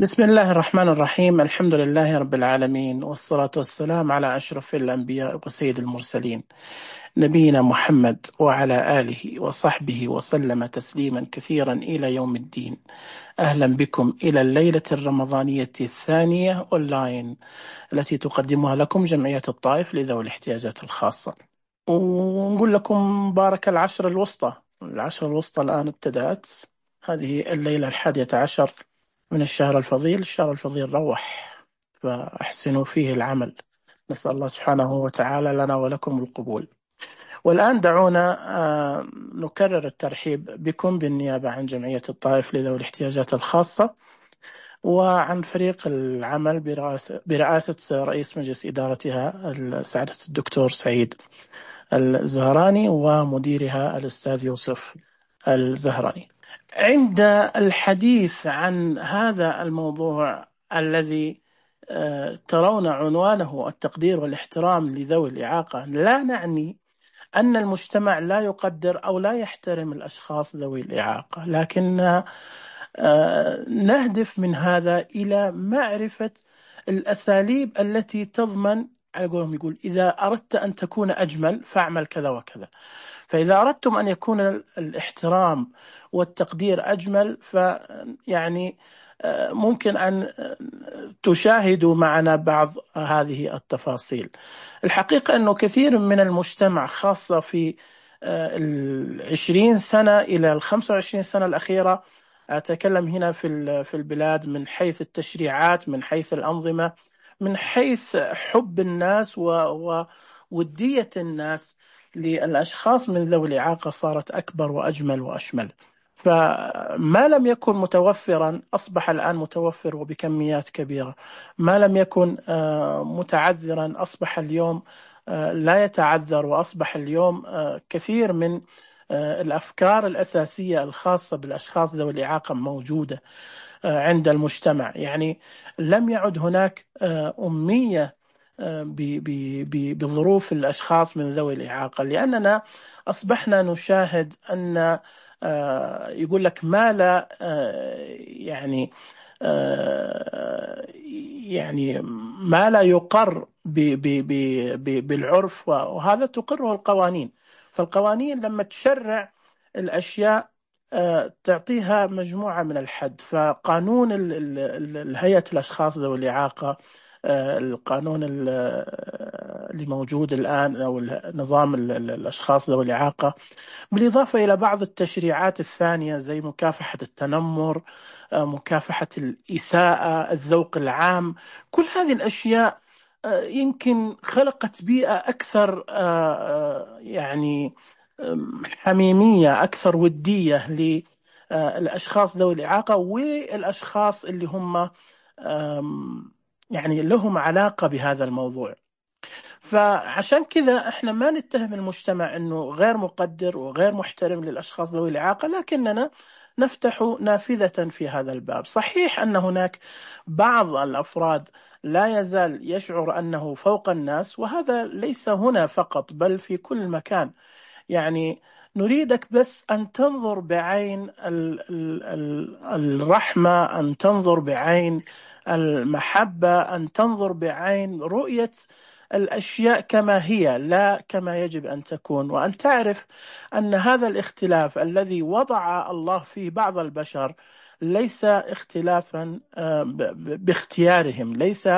بسم الله الرحمن الرحيم. الحمد لله رب العالمين، والصلاة والسلام على أشرف الأنبياء وسيد المرسلين، نبينا محمد وعلى آله وصحبه وسلم تسليما كثيرا إلى يوم الدين. أهلا بكم إلى الليلة الرمضانية الثانية أونلاين التي تقدمها لكم جمعية الطائف لذوي الاحتياجات الخاصة، ونقول لكم بارك العشر الوسطى. العشر الوسطى الآن ابتدأت، هذه الليلة 11 من الشهر الفضيل. الشهر الفضيل روح، فأحسنوا فيه العمل. نسأل الله سبحانه وتعالى لنا ولكم القبول. والآن دعونا نكرر الترحيب بكم بالنيابة عن جمعية الطائف لذوي الاحتياجات الخاصة، وعن فريق العمل برئاسة رئيس مجلس إدارتها سعادة الدكتور سعيد الزهراني، ومديرها الأستاذ يوسف الزهراني. عند الحديث عن هذا الموضوع الذي ترون عنوانه التقدير والاحترام لذوي الإعاقة، لا نعني أن المجتمع لا يقدر أو لا يحترم الأشخاص ذوي الإعاقة، لكن نهدف من هذا إلى معرفة الأساليب التي تضمن، على قولهم يقول، إذا أردت أن تكون أجمل فاعمل كذا وكذا. فإذا أردتم أن يكون الاحترام والتقدير أجمل، فيعني ممكن أن تشاهدوا معنا بعض هذه التفاصيل. الحقيقة أنه كثير من المجتمع، خاصة في 20 سنة إلى 25 سنة الأخيرة، أتكلم هنا في البلاد من حيث التشريعات، من حيث الأنظمة، من حيث حب الناس وودية الناس للأشخاص من ذوي الإعاقة، صارت أكبر وأجمل وأشمل. فما لم يكن متوفرا أصبح الآن متوفر وبكميات كبيرة، ما لم يكن متعذرا أصبح اليوم لا يتعذر، وأصبح اليوم كثير من الأفكار الأساسية الخاصة بالأشخاص ذوي الإعاقة موجودة عند المجتمع. يعني لم يعد هناك أمية بظروف الأشخاص من ذوي الإعاقة، لأننا أصبحنا نشاهد أن يقول لك ما لا يعني ما لا يقر بالعرف، وهذا تقره القوانين. فالقوانين لما تشرع الأشياء تعطيها مجموعة من الحد. فقانون هيئة الأشخاص ذوي الإعاقة، القانون اللي موجود الآن، أو نظام الأشخاص ذوي الإعاقة، بالإضافة إلى بعض التشريعات الثانية زي مكافحة التنمر، مكافحة الإساءة، الذوق العام، كل هذه الأشياء يمكن خلقت بيئة أكثر يعني حميمية، أكثر ودية للأشخاص ذوي الإعاقة والأشخاص اللي هم يعني لهم علاقة بهذا الموضوع. فعشان كذا احنا ما نتهم المجتمع انه غير مقدر وغير محترم للاشخاص ذوي الاعاقه، لكننا نفتح نافذه في هذا الباب. صحيح ان هناك بعض الافراد لا يزال يشعر انه فوق الناس، وهذا ليس هنا فقط بل في كل مكان. يعني نريدك بس أن تنظر بعين الرحمة، أن تنظر بعين المحبة، أن تنظر بعين رؤية الأشياء كما هي لا كما يجب أن تكون، وأن تعرف أن هذا الاختلاف الذي وضع الله فيه بعض البشر ليس اختلافا باختيارهم، ليس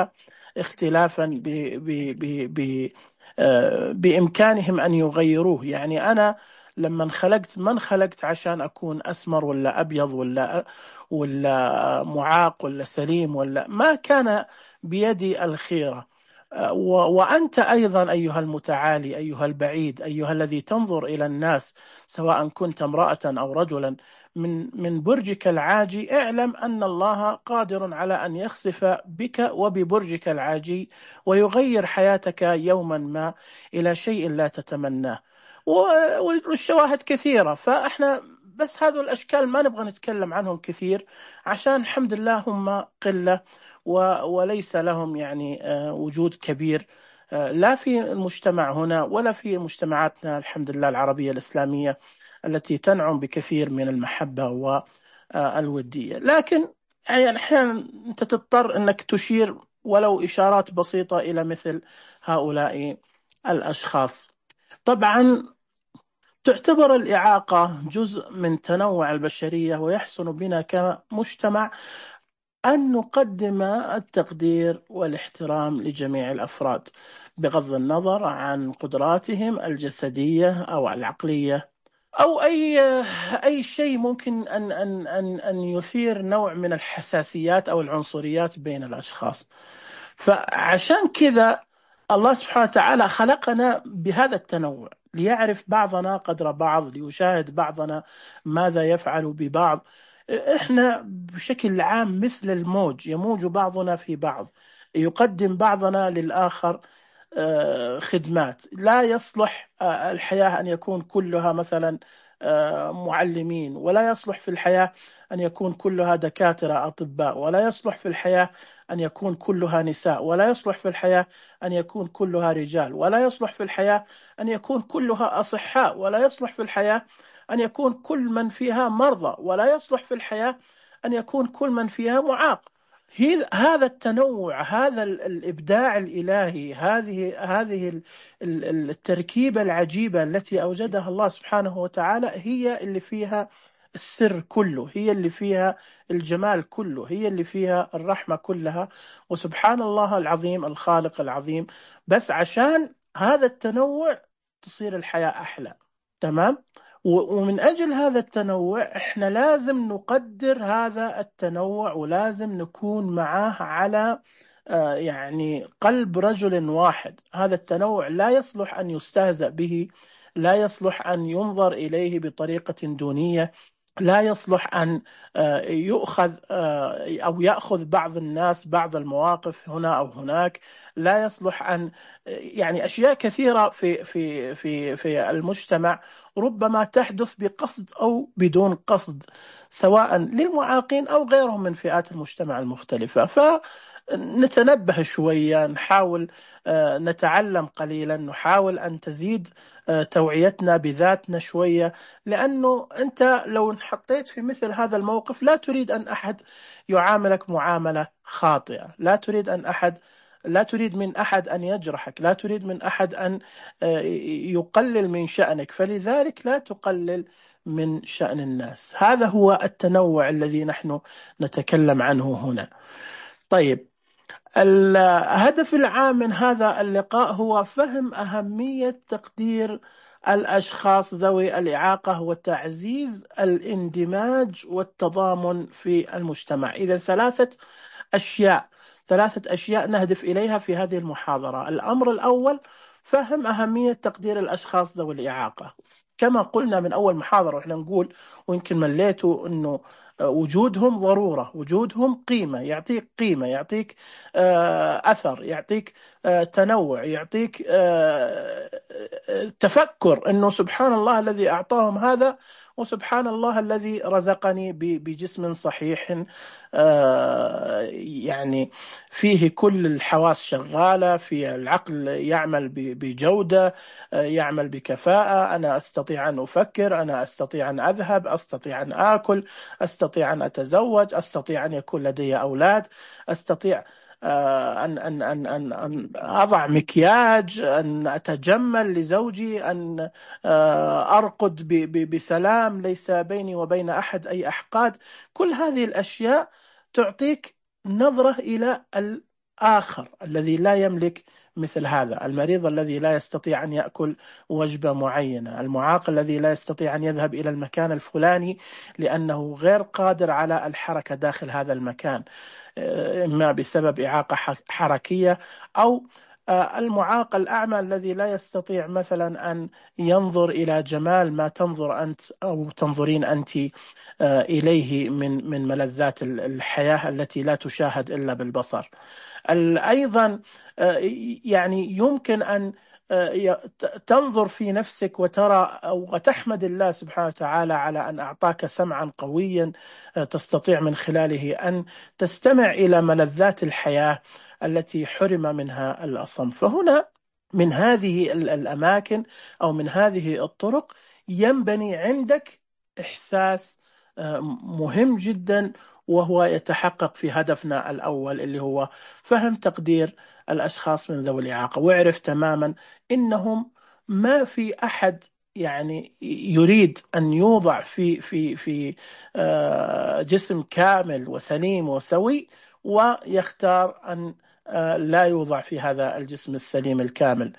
اختلافا بإمكانهم أن يغيروه. يعني أنا لما انخلقت ما انخلقت عشان أكون أسمر ولا أبيض ولا معاق ولا سليم، ولا ما كان بيدي الخيرة. وأنت أيضا أيها المتعالي، أيها البعيد، أيها الذي تنظر إلى الناس، سواء كنت امرأة أو رجلا، من برجك العاجي، اعلم أن الله قادر على أن يخسف بك وببرجك العاجي ويغير حياتك يوما ما إلى شيء لا تتمناه. والشواهد كثيرة، فإحنا بس هذو الأشكال ما نبغى نتكلم عنهم كثير، عشان الحمد لله هم قلة وليس لهم يعني وجود كبير، لا في المجتمع هنا ولا في مجتمعاتنا الحمد لله العربية الإسلامية التي تنعم بكثير من المحبة والودية. لكن يعني أحيانا أنت تضطر أنك تشير ولو إشارات بسيطة إلى مثل هؤلاء الأشخاص. طبعا تعتبر الإعاقة جزء من تنوع البشرية، ويحسن بنا كمجتمع أن نقدم التقدير والاحترام لجميع الأفراد بغض النظر عن قدراتهم الجسدية أو العقلية أو أي شيء ممكن أن يثير نوع من الحساسيات أو العنصريات بين الأشخاص. فعشان كذا الله سبحانه وتعالى خلقنا بهذا التنوع، ليعرف بعضنا قدر بعض، ليشاهد بعضنا ماذا يفعل ببعض. إحنا بشكل عام مثل الموج، يموج بعضنا في بعض، يقدم بعضنا للآخر خدمات. لا يصلح الحياة أن يكون كلها مثلا معلمين، ولا يصلح في الحياة أن يكون كلها دكاترة أطباء، ولا يصلح في الحياة أن يكون كلها نساء، ولا يصلح في الحياة أن يكون كلها رجال، ولا يصلح في الحياة أن يكون كلها أصحاء، ولا يصلح في الحياة أن يكون كل من فيها مرضى، ولا يصلح في الحياة أن يكون كل من فيها معاق. هذا التنوع، هذا الإبداع الإلهي، هذه التركيبة العجيبة التي أوجدها الله سبحانه وتعالى هي اللي فيها السر كله، هي اللي فيها الجمال كله، هي اللي فيها الرحمة كلها. وسبحان الله العظيم الخالق العظيم، بس عشان هذا التنوع تصير الحياة أحلى. تمام؟ ومن أجل هذا التنوع إحنا لازم نقدر هذا التنوع، ولازم نكون معاه على يعني قلب رجل واحد. هذا التنوع لا يصلح أن يستهزأ به، لا يصلح أن ينظر إليه بطريقة دونية، لا يصلح أن يؤخذ أو يأخذ بعض الناس بعض المواقف هنا أو هناك. لا يصلح أن يعني أشياء كثيرة في المجتمع ربما تحدث بقصد أو بدون قصد، سواء للمعاقين أو غيرهم من فئات المجتمع المختلفة. فنتنبه شوية، نحاول نتعلم قليلا، نحاول أن تزيد توعيتنا بذاتنا شوية. لأنه أنت لو انحطيت في مثل هذا الموقف لا تريد أن أحد يعاملك معاملة خاطئة، لا تريد من أحد أن يجرحك، لا تريد من أحد أن يقلل من شأنك، فلذلك لا تقلل من شأن الناس. هذا هو التنوع الذي نحن نتكلم عنه هنا. طيب، الهدف العام من هذا اللقاء هو فهم أهمية تقدير الأشخاص ذوي الإعاقة وتعزيز الاندماج والتضامن في المجتمع. إذا ثلاثة أشياء نهدف إليها في هذه المحاضرة. الأمر الأول فهم أهمية تقدير الأشخاص ذوي الإعاقة. كما قلنا من أول محاضرة وإحنا نقول، ويمكن مليتوا أنه وجودهم ضرورة، وجودهم قيمة، يعطيك قيمة، يعطيك أثر، يعطيك تنوع، يعطيك تفكر أنه سبحان الله الذي أعطاهم هذا، وسبحان الله الذي رزقني بجسم صحيح يعني فيه كل الحواس شغالة، في العقل يعمل بجودة، يعمل بكفاءة. أنا أستطيع أن أفكر، أنا أستطيع أن أذهب، أستطيع أن آكل، أستطيع أن أتزوج، أستطيع أن يكون لدي أولاد، أستطيع أن أضع مكياج، أن أتجمل لزوجي، أن أرقد بسلام، ليس بيني وبين أحد أي أحقاد. كل هذه الأشياء تعطيك نظرة إلى الآخر الذي لا يملك مثل هذا، المريض الذي لا يستطيع أن يأكل وجبة معينة، المعاق الذي لا يستطيع أن يذهب إلى المكان الفلاني لأنه غير قادر على الحركة داخل هذا المكان، إما بسبب إعاقة حركية، أو المعاق الأعمى الذي لا يستطيع مثلا أن ينظر إلى جمال ما تنظر أنت أو تنظرين أنت إليه من ملذات الحياة التي لا تشاهد إلا بالبصر. أيضا يعني يمكن أن تنظر في نفسك وترى وتحمد الله سبحانه وتعالى على أن أعطاك سمعا قويا تستطيع من خلاله أن تستمع إلى ملذات الحياة التي حرم منها الأصم. فهنا من هذه الأماكن أو من هذه الطرق ينبني عندك إحساس مهم جدا، وهو يتحقق في هدفنا الأول اللي هو فهم تقدير الأشخاص من ذوي الإعاقة، ويعرف تماما إنهم ما في أحد يعني يريد أن يوضع في جسم كامل وسليم وسوي ويختار أن لا يوضع في هذا الجسم السليم الكامل.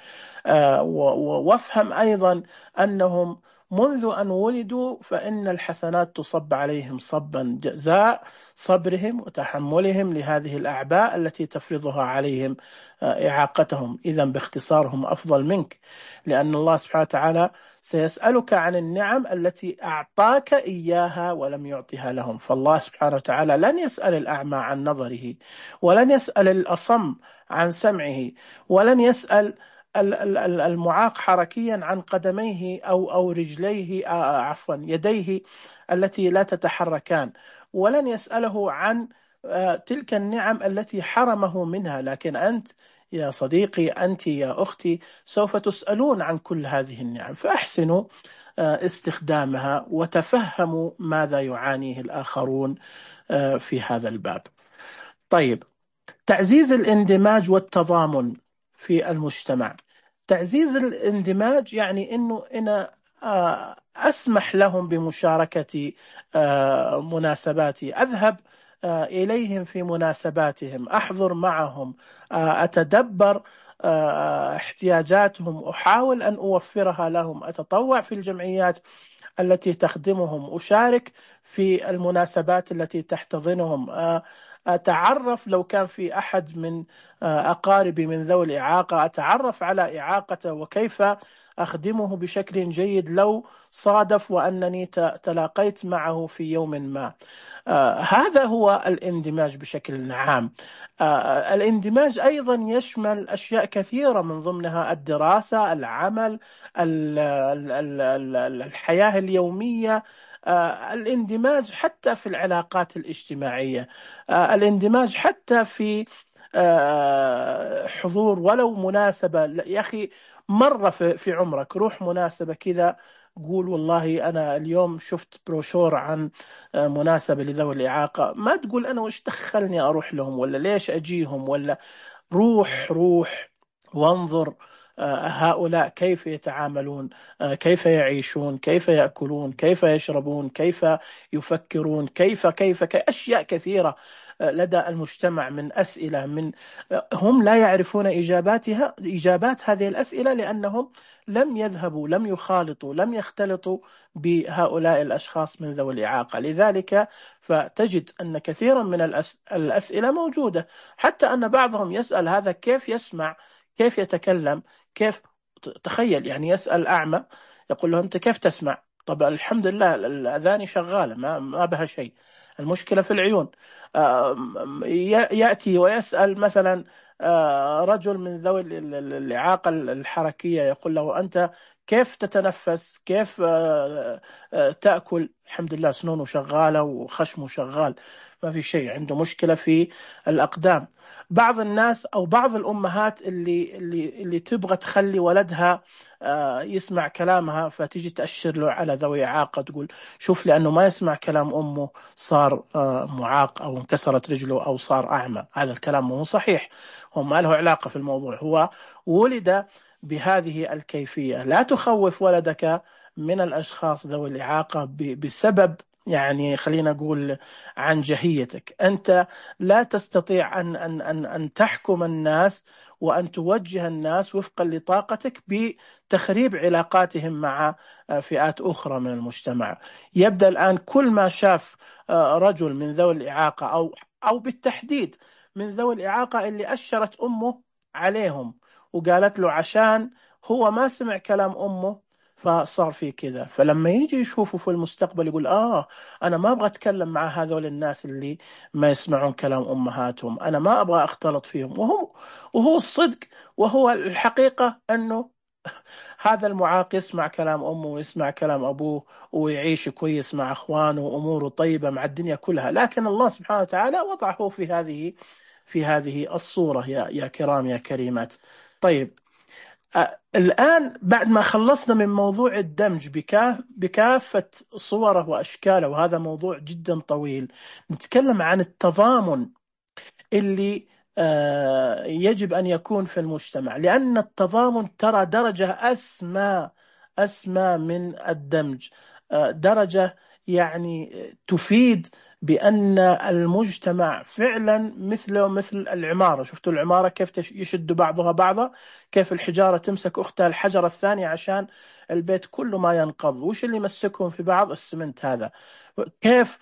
وافهم أيضا أنهم منذ أن ولدوا فإن الحسنات تصب عليهم صبا جزاء صبرهم وتحملهم لهذه الأعباء التي تفرضها عليهم إعاقتهم. إذن باختصارهم أفضل منك، لأن الله سبحانه وتعالى سيسألك عن النعم التي أعطاك إياها ولم يعطها لهم. فالله سبحانه وتعالى لن يسأل الأعمى عن نظره، ولن يسأل الأصم عن سمعه، ولن يسأل المعاق حركيا عن قدميه أو رجليه، عفوا يديه التي لا تتحركان، ولن يسأله عن تلك النعم التي حرمه منها. لكن أنت يا صديقي، أنت يا أختي، سوف تسألون عن كل هذه النعم، فأحسنوا استخدامها وتفهموا ماذا يعانيه الآخرون في هذا الباب. طيب، تعزيز الاندماج والتضامن في المجتمع. تعزيز الاندماج يعني أنه أنا أسمح لهم بمشاركة مناسباتي، أذهب إليهم في مناسباتهم، أحضر معهم، أتدبر احتياجاتهم، أحاول أن أوفرها لهم، أتطوع في الجمعيات التي تخدمهم، أشارك في المناسبات التي تحتضنهم، أتعرف لو كان في أحد من أقاربي من ذوي الإعاقة، أتعرف على إعاقته وكيف أخدمه بشكل جيد لو صادف وأنني تلاقيت معه في يوم ما. هذا هو الاندماج بشكل عام. الاندماج أيضا يشمل أشياء كثيرة، من ضمنها الدراسة، العمل، الحياة اليومية، الاندماج حتى في العلاقات الاجتماعية، الاندماج حتى في حضور ولو مناسبة. يا أخي، مرة في عمرك روح مناسبة كذا، قول والله أنا اليوم شفت بروشور عن مناسبة لذوي الإعاقة، ما تقول أنا وش دخلني أروح لهم ولا ليش أجيهم، ولا روح وانظر هؤلاء كيف يتعاملون، كيف يعيشون، كيف يأكلون، كيف يشربون، كيف يفكرون، كيف أشياء كثيرة لدى المجتمع من أسئلة، من هم لا يعرفون إجابات هذه الأسئلة، لأنهم لم يذهبوا، لم يخالطوا، لم يختلطوا بهؤلاء الأشخاص من ذوي الإعاقة. لذلك فتجد أن كثيرا من الأسئلة موجودة، حتى أن بعضهم يسأل هذا كيف يسمع، كيف يتكلم، كيف. تخيل يعني يسأل أعمى يقول له أنت كيف تسمع؟ طب الحمد لله الأذان شغالة، ما بها شيء، المشكلة في العيون. يأتي ويسأل مثلا رجل من ذوي الإعاقة الحركية، يقول له أنت كيف تتنفس، كيف تأكل؟ الحمد لله سنونه شغالة وخشمه شغال، ما في شيء، عنده مشكلة في الأقدام. بعض الناس أو بعض الأمهات اللي تبغى تخلي ولدها يسمع كلامها، فتيجي تأشر له على ذوي إعاقة، تقول شوف لأنه ما يسمع كلام أمه صار معاق أو انكسرت رجله أو صار أعمى. هذا الكلام مو صحيح، هو ما له علاقة في الموضوع، هو ولد بهذه الكيفية. لا تخوف ولدك من الأشخاص ذوي الإعاقة بسبب يعني خلينا نقول عن جهيتك. أنت لا تستطيع أن تحكم الناس وأن توجه الناس وفقا لطاقتك بتخريب علاقاتهم مع فئات أخرى من المجتمع. يبدأ الآن كل ما شاف رجل من ذوي الإعاقة أو بالتحديد من ذوي الإعاقة اللي أشرت أمه عليهم وقالت له عشان هو ما سمع كلام أمه فصار في كذا، فلما يجي يشوفه في المستقبل يقول أنا ما أبغى أتكلم مع هذول الناس اللي ما يسمعون كلام أمهاتهم، أنا ما أبغى أختلط فيهم. وهو الصدق وهو الحقيقة أنه هذا المعاق يسمع كلام أمه ويسمع كلام أبوه ويعيش كويس مع أخوانه وأموره طيبة مع الدنيا كلها، لكن الله سبحانه وتعالى وضعه في هذه الصورة يا كرام يا كريمات. طيب، الآن بعد ما خلصنا من موضوع الدمج بكافة صوره وأشكاله، وهذا موضوع جدا طويل، نتكلم عن التضامن اللي يجب أن يكون في المجتمع. لأن التضامن ترى درجة أسمى من الدمج، درجة يعني تفيد بأن المجتمع فعلا مثل العمارة. شفتوا العمارة كيف يشد بعضها بعضا، كيف الحجارة تمسك أختها الحجرة الثانية عشان البيت كله ما ينقض. وش اللي يمسكهم في بعض؟ السمنت هذا. كيف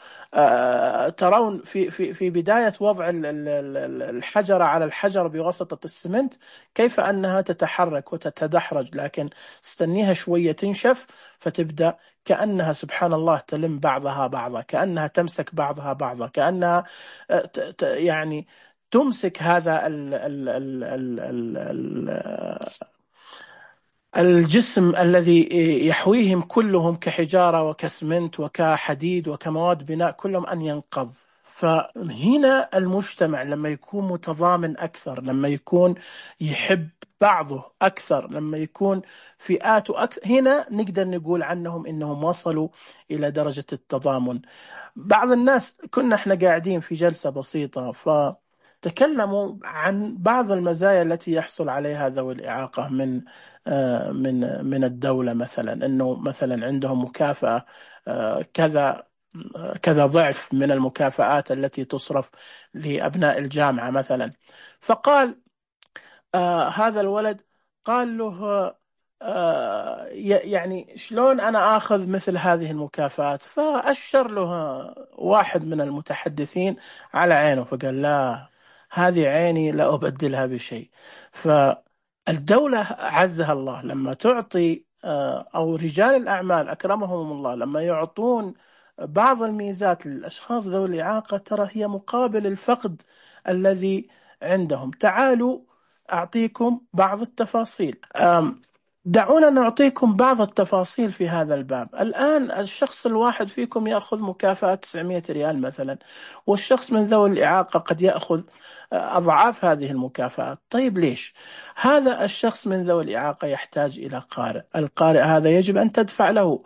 ترون في بداية وضع الحجرة على الحجر بواسطة السمنت كيف أنها تتحرك وتتدحرج، لكن استنيها شوية تنشف فتبدأ كأنها سبحان الله تلم بعضها بعضا، كأنها تمسك بعضها بعضا، كأنها يعني تمسك هذا الجسم الذي يحويهم كلهم كحجارة وكسمنت وكحديد وكمواد بناء، كلهم أن ينقض. فهنا المجتمع لما يكون متضامن أكثر، لما يكون يحب بعضه أكثر، لما يكون فئاته أكثر، هنا نقدر نقول عنهم إنهم وصلوا إلى درجة التضامن. بعض الناس كنا احنا قاعدين في جلسة بسيطة فتكلموا عن بعض المزايا التي يحصل عليها ذوي الإعاقة من الدولة، مثلا إنه مثلا عندهم مكافأة كذا ضعف من المكافآت التي تصرف لأبناء الجامعة مثلا. فقال هذا الولد، قال له يعني شلون أنا آخذ مثل هذه المكافآت؟ فأشر له واحد من المتحدثين على عينه فقال لا، هذه عيني لا أبدلها بشيء. فالدولة عزها الله لما تعطي أو رجال الأعمال أكرمهم الله لما يعطون بعض الميزات للأشخاص ذوي الإعاقة، ترى هي مقابل الفقد الذي عندهم. تعالوا أعطيكم بعض التفاصيل. دعونا نعطيكم بعض التفاصيل في هذا الباب. الآن الشخص الواحد فيكم يأخذ مكافأة 900 ريال مثلا، والشخص من ذوي الإعاقة قد يأخذ أضعاف هذه المكافآت. طيب ليش؟ هذا الشخص من ذوي الإعاقة يحتاج إلى قارئ، القارئ هذا يجب أن تدفع له.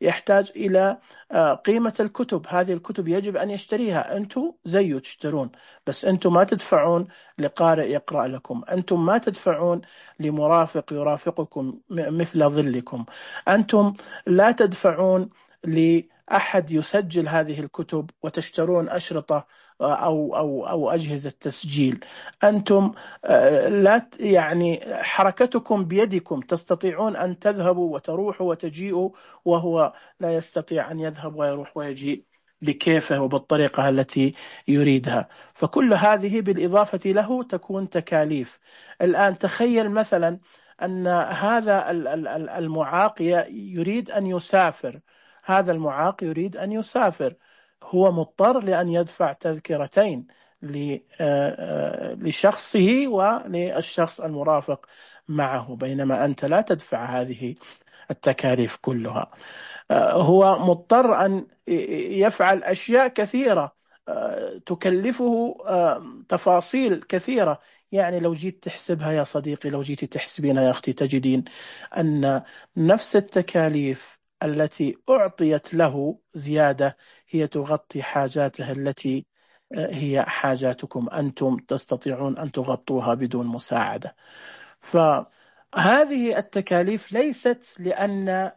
يحتاج إلى قيمة الكتب، هذه الكتب يجب أن يشتريها. أنتم زيه تشترون، بس أنتم ما تدفعون لقارئ يقرأ لكم، أنتم ما تدفعون لمرافق يرافقكم مثل ظلكم، أنتم لا تدفعون لأحد يسجل هذه الكتب وتشترون أشرطة أو أجهزة تسجيل. أنتم لا يعني حركتكم بيدكم، تستطيعون أن تذهبوا وتروحوا وتجيئوا، وهو لا يستطيع أن يذهب ويروح ويجيء بكيفه وبالطريقة التي يريدها. فكل هذه بالإضافة له تكون تكاليف. الآن تخيل مثلا أن هذا المعاق يريد أن يسافر، هذا المعاق يريد أن يسافر، هو مضطر لأن يدفع تذكرتين لشخصه وللشخص المرافق معه، بينما أنت لا تدفع هذه التكاليف كلها. هو مضطر أن يفعل أشياء كثيرة تكلفه تفاصيل كثيرة. يعني لو جيت تحسبها يا صديقي، لو جيت تحسبينها يا أختي، تجدين أن نفس التكاليف التي أعطيت له زيادة هي تغطي حاجاته التي هي حاجاتكم، أنتم تستطيعون أن تغطوها بدون مساعدة. فهذه التكاليف ليست لأن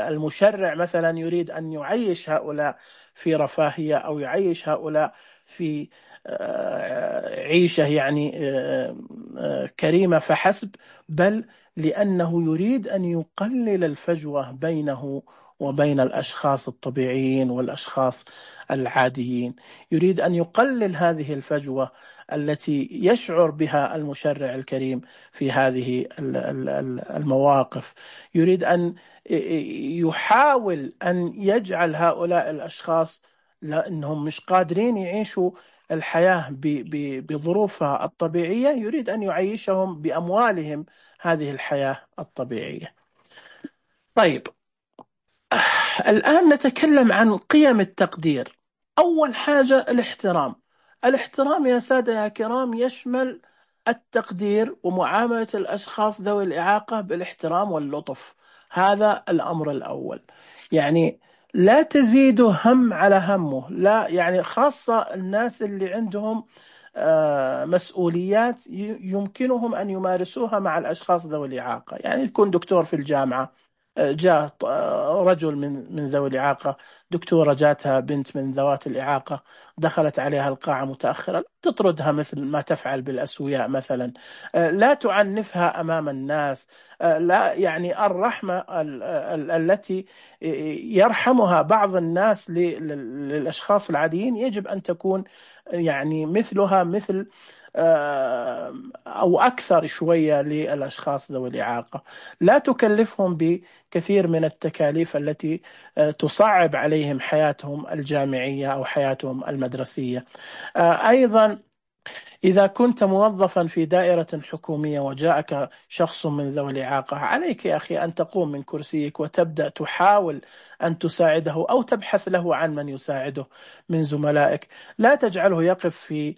المشرع مثلا يريد أن يعيش هؤلاء في رفاهية أو يعيش هؤلاء في عيشة يعني كريمة فحسب، بل لأنه يريد أن يقلل الفجوة بينه وبين الأشخاص الطبيعيين والأشخاص العاديين. يريد أن يقلل هذه الفجوة التي يشعر بها المشرع الكريم في هذه المواقف. يريد أن يحاول أن يجعل هؤلاء الأشخاص لأنهم مش قادرين يعيشوا الحياة بظروفها الطبيعية، يريد أن يعيشهم بأموالهم هذه الحياة الطبيعية. طيب، الآن نتكلم عن قيم التقدير. أول حاجة الاحترام. الاحترام يا سادة يا كرام يشمل التقدير ومعاملة الأشخاص ذوي الإعاقة بالاحترام واللطف. هذا الأمر الأول. يعني لا تزيدوا هم على همه، لا، يعني خاصة الناس اللي عندهم مسؤوليات يمكنهم أن يمارسوها مع الأشخاص ذوي الإعاقة. يعني يكون دكتور في الجامعة، جاء رجل من ذوي الإعاقة، دكتورة جاتها بنت من ذوات الإعاقة، دخلت عليها القاعة متأخرة، لا تطردها مثل ما تفعل بالأسوياء مثلا، لا تعنفها أمام الناس، لا، يعني الرحمة التي يرحمها بعض الناس للأشخاص العاديين يجب أن تكون يعني مثلها، مثل أو أكثر شوية للأشخاص ذوي الإعاقة. لا تكلفهم بكثير من التكاليف التي تصعب عليهم حياتهم الجامعية أو حياتهم المدرسية. أيضا إذا كنت موظفا في دائرة حكومية وجاءك شخص من ذوي الإعاقة، عليك يا أخي أن تقوم من كرسيك وتبدأ تحاول أن تساعده أو تبحث له عن من يساعده من زملائك. لا تجعله يقف في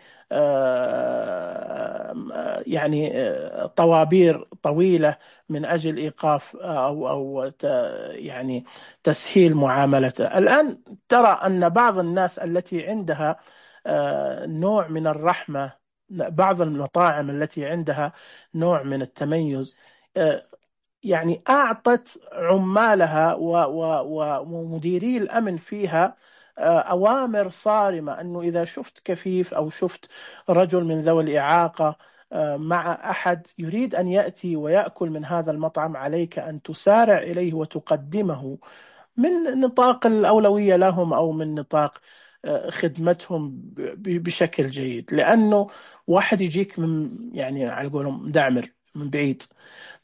يعني طوابير طويلة من أجل إيقاف أو يعني تسهيل معاملته. الآن ترى أن بعض الناس التي عندها نوع من الرحمة، بعض المطاعم التي عندها نوع من التميز، يعني أعطت عمالها ومديري الأمن فيها أوامر صارمة أنه إذا شفت كفيف أو شفت رجل من ذوي الإعاقة مع أحد يريد أن يأتي ويأكل من هذا المطعم، عليك أن تسارع إليه وتقدمه من نطاق الأولوية لهم أو من نطاق خدمتهم بشكل جيد. لأنه واحد يجيك من، يعني على قولهم، مدعمر من بعيد،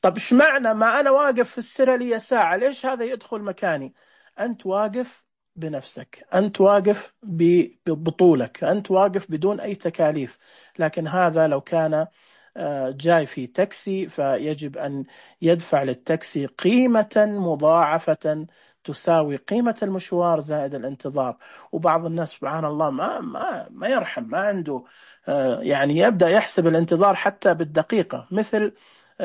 طب إيش معنى ما أنا واقف في السرة لي ساعة، ليش هذا يدخل مكاني؟ أنت واقف بنفسك، أنت واقف ببطولك، أنت واقف بدون أي تكاليف. لكن هذا لو كان جاي في تاكسي فيجب أن يدفع للتاكسي قيمة مضاعفة تساوي قيمة المشوار زائد الانتظار. وبعض الناس سبحان الله ما يرحم، ما عنده يعني يبدأ يحسب الانتظار حتى بالدقيقة، مثل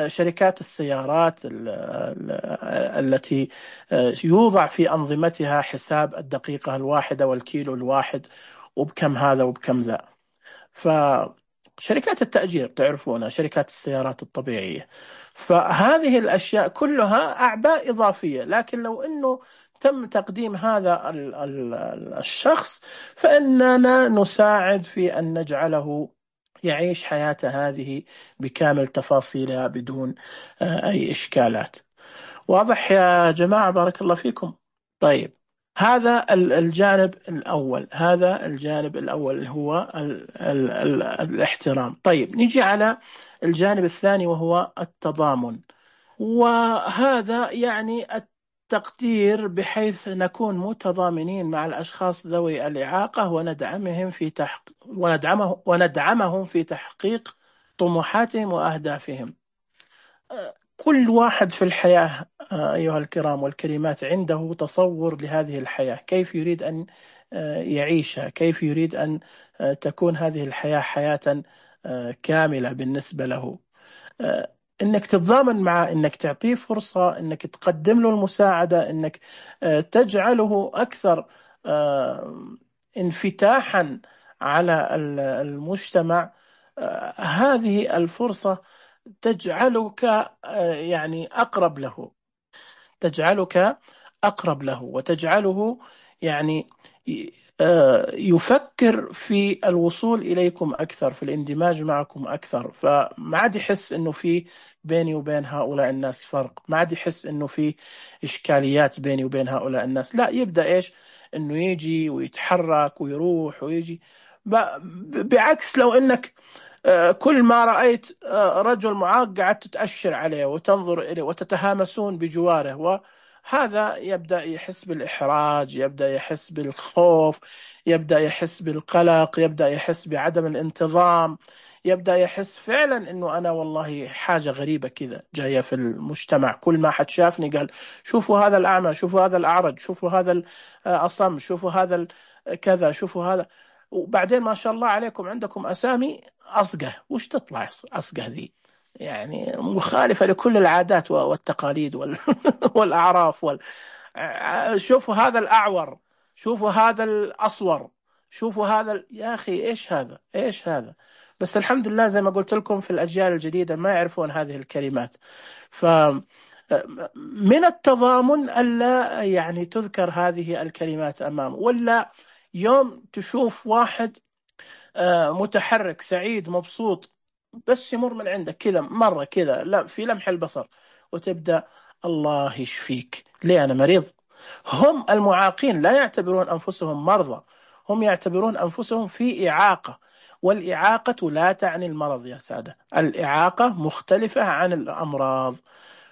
شركات السيارات التي يوضع في أنظمتها حساب الدقيقة الواحدة والكيلو الواحد وبكم هذا وبكم ذا. فشركات التأجير تعرفونها، شركات السيارات الطبيعية، فهذه الأشياء كلها أعباء إضافية. لكن لو أنه تم تقديم هذا الشخص فإننا نساعد في أن نجعله يعيش حياته هذه بكامل تفاصيلها بدون أي إشكالات. واضح يا جماعة؟ بارك الله فيكم. طيب، هذا الجانب الأول، هذا الجانب الأول هو الاحترام. طيب، نجي على الجانب الثاني وهو التضامن، وهذا يعني التقدير بحيث نكون متضامنين مع الأشخاص ذوي الإعاقة وندعمهم في تحقيق طموحاتهم وأهدافهم. كل واحد في الحياة أيها الكرام والكريمات عنده تصور لهذه الحياة، كيف يريد أن يعيشها، كيف يريد أن تكون هذه الحياة حياة كاملة بالنسبة له. انك تتضامن معه، انك تعطيه فرصة، انك تقدم له المساعدة، انك تجعله اكثر انفتاحا على المجتمع. هذه الفرصة تجعلك يعني اقرب له، تجعلك أقرب له وتجعله يعني يفكر في الوصول إليكم أكثر، في الاندماج معكم أكثر. فما عاد يحس أنه في بيني وبين هؤلاء الناس فرق، ما عاد يحس أنه في إشكاليات بيني وبين هؤلاء الناس، لا، يبدأ إيش؟ أنه يجي ويتحرك ويروح ويجي. بعكس لو أنك كل ما رأيت رجل معاق قاعد تتأشر عليه وتنظر إليه وتتهامسون بجواره، وهذا يبدأ يحس بالإحراج، يبدأ يحس بالخوف، يبدأ يحس بالقلق، يبدأ يحس بعدم الانتظام، يبدأ يحس فعلا إنه أنا والله حاجة غريبة كذا جاية في المجتمع. كل ما حد شافني قال شوفوا هذا الأعمى، شوفوا هذا الأعرج، شوفوا هذا الأصم، شوفوا هذا كذا، شوفوا هذا. وبعدين ما شاء الله عليكم عندكم أسامي أصقة، وش تطلع أصقة ذي؟ يعني مخالفة لكل العادات والتقاليد والأعراف شوفوا هذا الأعور، شوفوا هذا الأصور، شوفوا هذا يا أخي إيش هذا، إيش هذا؟ بس الحمد لله زي ما قلت لكم في الأجيال الجديدة ما يعرفون هذه الكلمات. ف من التضامن ألا يعني تذكر هذه الكلمات أمامه. ولا يوم تشوف واحد متحرك سعيد مبسوط، بس يمر من عندك كذا مرة كذا، لا في لمح البصر، وتبدأ الله يشفيك، ليه؟ أنا مريض. هم المعاقين لا يعتبرون أنفسهم مرضى، هم يعتبرون أنفسهم في إعاقة، والإعاقة لا تعني المرض يا سادة، الإعاقة مختلفة عن الأمراض.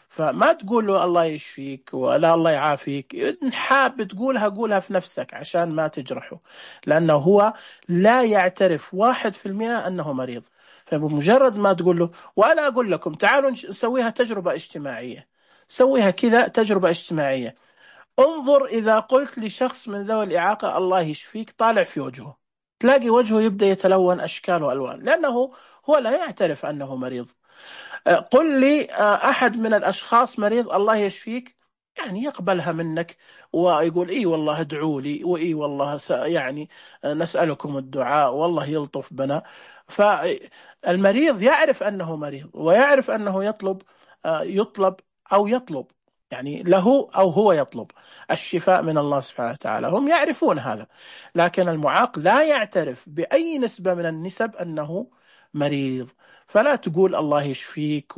فما تقول له الله يشفيك ولا الله يعافيك، إن حاب تقولها قولها في نفسك عشان ما تجرحه، لأنه هو لا يعترف 1% أنه مريض. فبمجرد ما تقول له، وأنا أقول لكم تعالوا نسويها تجربة اجتماعية، سويها كذا تجربة اجتماعية. انظر إذا قلت لشخص من ذوي الإعاقة الله يشفيك، طالع في وجهه تلاقي وجهه يبدأ يتلون أشكال وألوان، لأنه هو لا يعترف أنه مريض. قل لي أحد من الأشخاص مريض الله يشفيك، يعني يقبلها منك ويقول إي والله ادعوا لي، وإي والله يعني نسألكم الدعاء والله يلطف بنا. فالمريض يعرف أنه مريض، ويعرف أنه يطلب أو يطلب، يعني له أو هو يطلب الشفاء من الله سبحانه وتعالى، هم يعرفون هذا. لكن المعاق لا يعترف بأي نسبة من النسب أنه مريض. فلا تقول الله يشفيك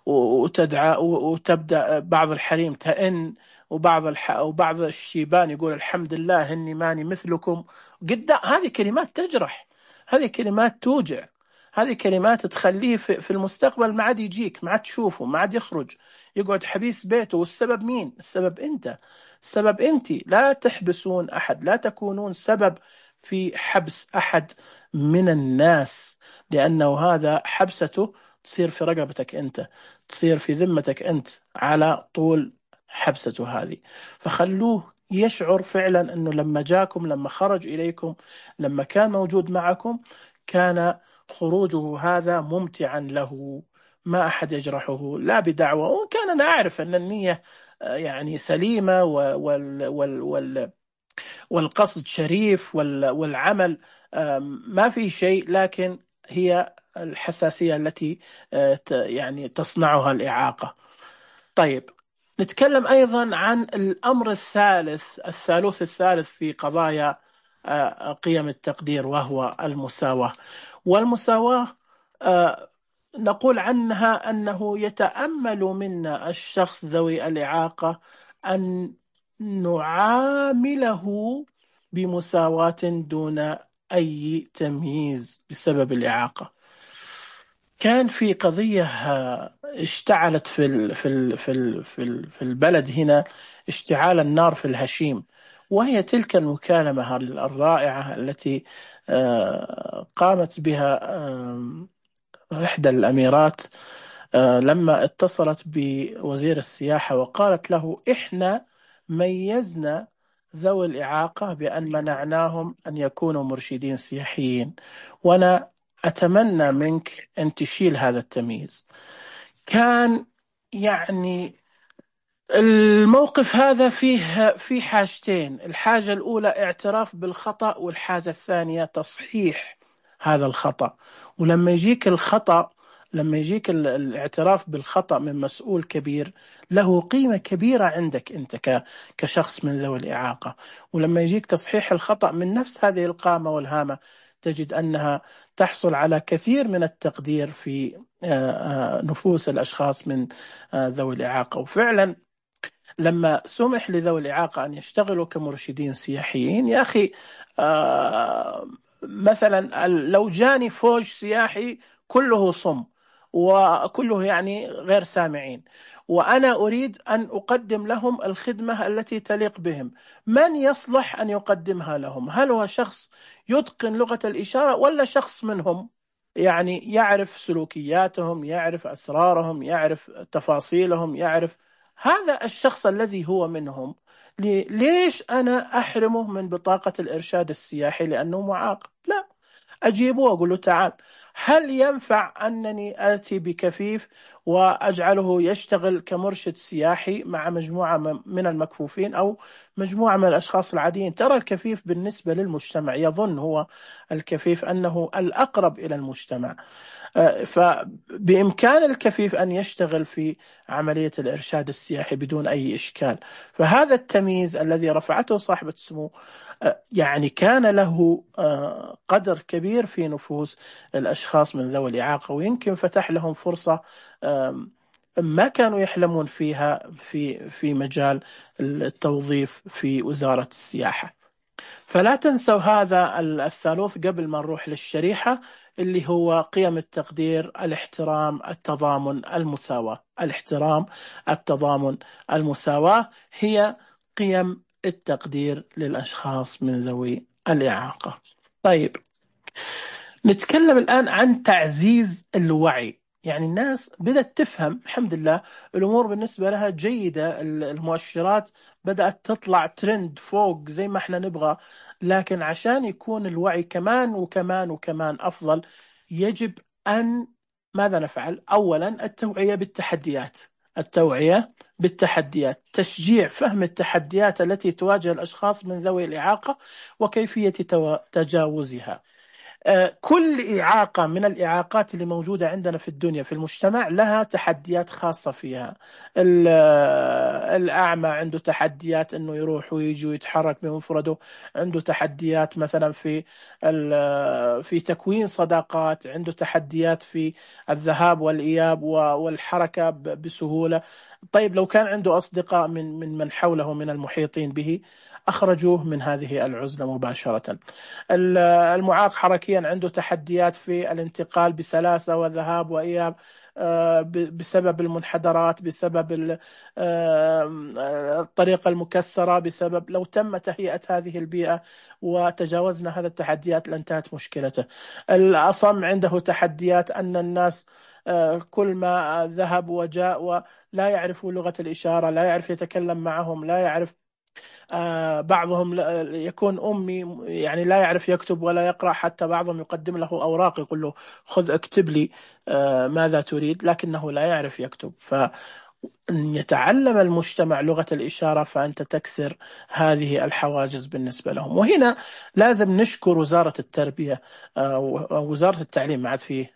وتدعى وتبدأ بعض الحريم تئن، وبعض الشيبان يقول الحمد لله إني ماني مثلكم. قدام هذه كلمات تجرح، هذه كلمات توجع، هذه كلمات تخليه في المستقبل ما عاد يجيك، ما عاد تشوفه، ما عاد يخرج، يقعد حبيس بيته. والسبب مين؟ السبب أنت، السبب أنت. لا تحبسون أحد، لا تكونون سبب في حبس أحد من الناس، لأنه هذا حبسته تصير في رقبتك أنت، تصير في ذمتك أنت على طول حبسته هذه. فخلوه يشعر فعلا أنه لما جاكم، لما خرج إليكم، لما كان موجود معكم، كان خروجه هذا ممتعا له، ما أحد يجرحه لا بدعوة. وكان أنا أعرف أن النية يعني سليمة والقصد شريف والعمل ما في شيء، لكن هي الحساسية التي يعني تصنعها الإعاقة. طيب، نتكلم أيضا عن الأمر الثالث في قضايا قيم التقدير، وهو المساواة. والمساواة نقول عنها أنه يتأمل منا الشخص ذوي الإعاقة أن نعامله بمساواة دون أي تمييز بسبب الإعاقة. كان في قضية اشتعلت في البلد هنا اشتعال النار في الهشيم، وهي تلك المكالمة الرائعة التي قامت بها إحدى الأميرات لما اتصلت بوزير السياحة وقالت له إحنا ميزنا ذوي الإعاقة بأن منعناهم أن يكونوا مرشدين سياحيين، وأنا أتمنى منك أن تشيل هذا التمييز. كان يعني الموقف هذا فيه حاجتين، الحاجة الأولى اعتراف بالخطأ، والحاجة الثانية تصحيح هذا الخطأ. ولما يجيك الخطأ، لما يجيك الاعتراف بالخطأ من مسؤول كبير، له قيمة كبيرة عندك أنت كشخص من ذوي الإعاقة. ولما يجيك تصحيح الخطأ من نفس هذه القامة والهامة، تجد أنها تحصل على كثير من التقدير في نفوس الأشخاص من ذوي الإعاقة. وفعلا لما سمح لذوي الإعاقة أن يشتغلوا كمرشدين سياحيين، يا أخي مثلا لو جاني فوج سياحي كله صم وكله يعني غير سامعين، وأنا أريد أن أقدم لهم الخدمة التي تليق بهم، من يصلح أن يقدمها لهم؟ هل هو شخص يتقن لغة الإشارة، ولا شخص منهم يعني يعرف سلوكياتهم، يعرف أسرارهم، يعرف تفاصيلهم، يعرف هذا الشخص الذي هو منهم؟ ليش أنا أحرمه من بطاقة الإرشاد السياحي لأنه معاق؟ لا، أجيبه وأقول له تعال، هل ينفع أنني آتي بكفيف وأجعله يشتغل كمرشد سياحي مع مجموعة من المكفوفين أو مجموعة من الأشخاص العاديين؟ ترى الكفيف بالنسبة للمجتمع يظن هو الكفيف أنه الأقرب إلى المجتمع، فبإمكان الكفيف أن يشتغل في عملية الإرشاد السياحي بدون أي إشكال. فهذا التمييز الذي رفعته صاحبة السمو يعني كان له قدر كبير في نفوس الأشخاص من ذوي الإعاقة، ويمكن فتح لهم فرصة ما كانوا يحلمون فيها في مجال التوظيف في وزارة السياحة. فلا تنسوا هذا الثالوث قبل ما نروح للشريحة اللي هو قيم التقدير، الاحترام، التضامن، المساواة. الاحترام، التضامن، المساواة هي قيم التقدير للأشخاص من ذوي الإعاقة. طيب، نتكلم الآن عن تعزيز الوعي. يعني الناس بدأت تفهم، الحمد لله الأمور بالنسبة لها جيدة، المؤشرات بدأت تطلع ترند فوق زي ما احنا نبغى، لكن عشان يكون الوعي كمان وكمان وكمان أفضل يجب أن ماذا نفعل؟ أولا التوعية بالتحديات، التوعية بالتحديات، تشجيع فهم التحديات التي تواجه الأشخاص من ذوي الإعاقة وكيفية تجاوزها. كل إعاقة من الإعاقات اللي موجودة عندنا في الدنيا في المجتمع لها تحديات خاصة فيها. الأعمى عنده تحديات أنه يروح ويجي ويتحرك بمفرده، عنده تحديات مثلا في تكوين صداقات، عنده تحديات في الذهاب والإياب والحركة بسهولة. طيب لو كان عنده أصدقاء من حوله من المحيطين به أخرجوه من هذه العزلة مباشرة. المعاق حركيا عنده تحديات في الانتقال بسلاسة وذهاب وإياب بسبب المنحدرات، بسبب الطريقة المكسرة، بسبب لو تم تهيئة هذه البيئة وتجاوزنا هذه التحديات لانتهت مشكلته. الأصم عنده تحديات أن الناس كل ما ذهب وجاء ولا يعرف لغة الإشارة، لا يعرف يتكلم معهم، لا يعرف بعضهم يكون أمي يعني لا يعرف يكتب ولا يقرأ، حتى بعضهم يقدم له أوراق يقول له خذ اكتب لي ماذا تريد، لكنه لا يعرف يكتب. فأن يتعلم المجتمع لغة الإشارة فأنت تكسر هذه الحواجز بالنسبة لهم. وهنا لازم نشكر وزارة التربية، وزارة التعليم، ما عاد فيه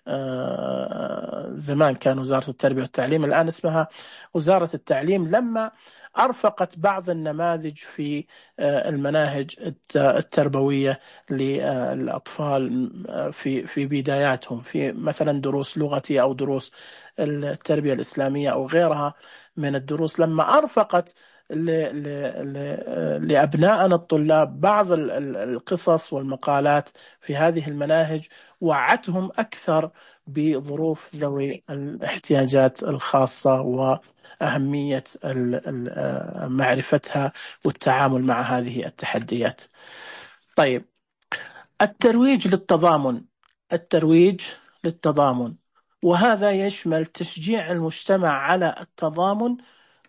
زمان كان وزارة التربية والتعليم، الآن اسمها وزارة التعليم، لما أرفقت بعض النماذج في المناهج التربوية للأطفال في بداياتهم، في مثلا دروس لغتي أو دروس التربية الإسلامية أو غيرها من الدروس، لما أرفقت لأبنائنا الطلاب بعض القصص والمقالات في هذه المناهج، وعتهم أكثر بظروف ذوي الاحتياجات الخاصة وأهمية معرفتها والتعامل مع هذه التحديات. طيب، الترويج للتضامن، الترويج للتضامن، وهذا يشمل تشجيع المجتمع على التضامن.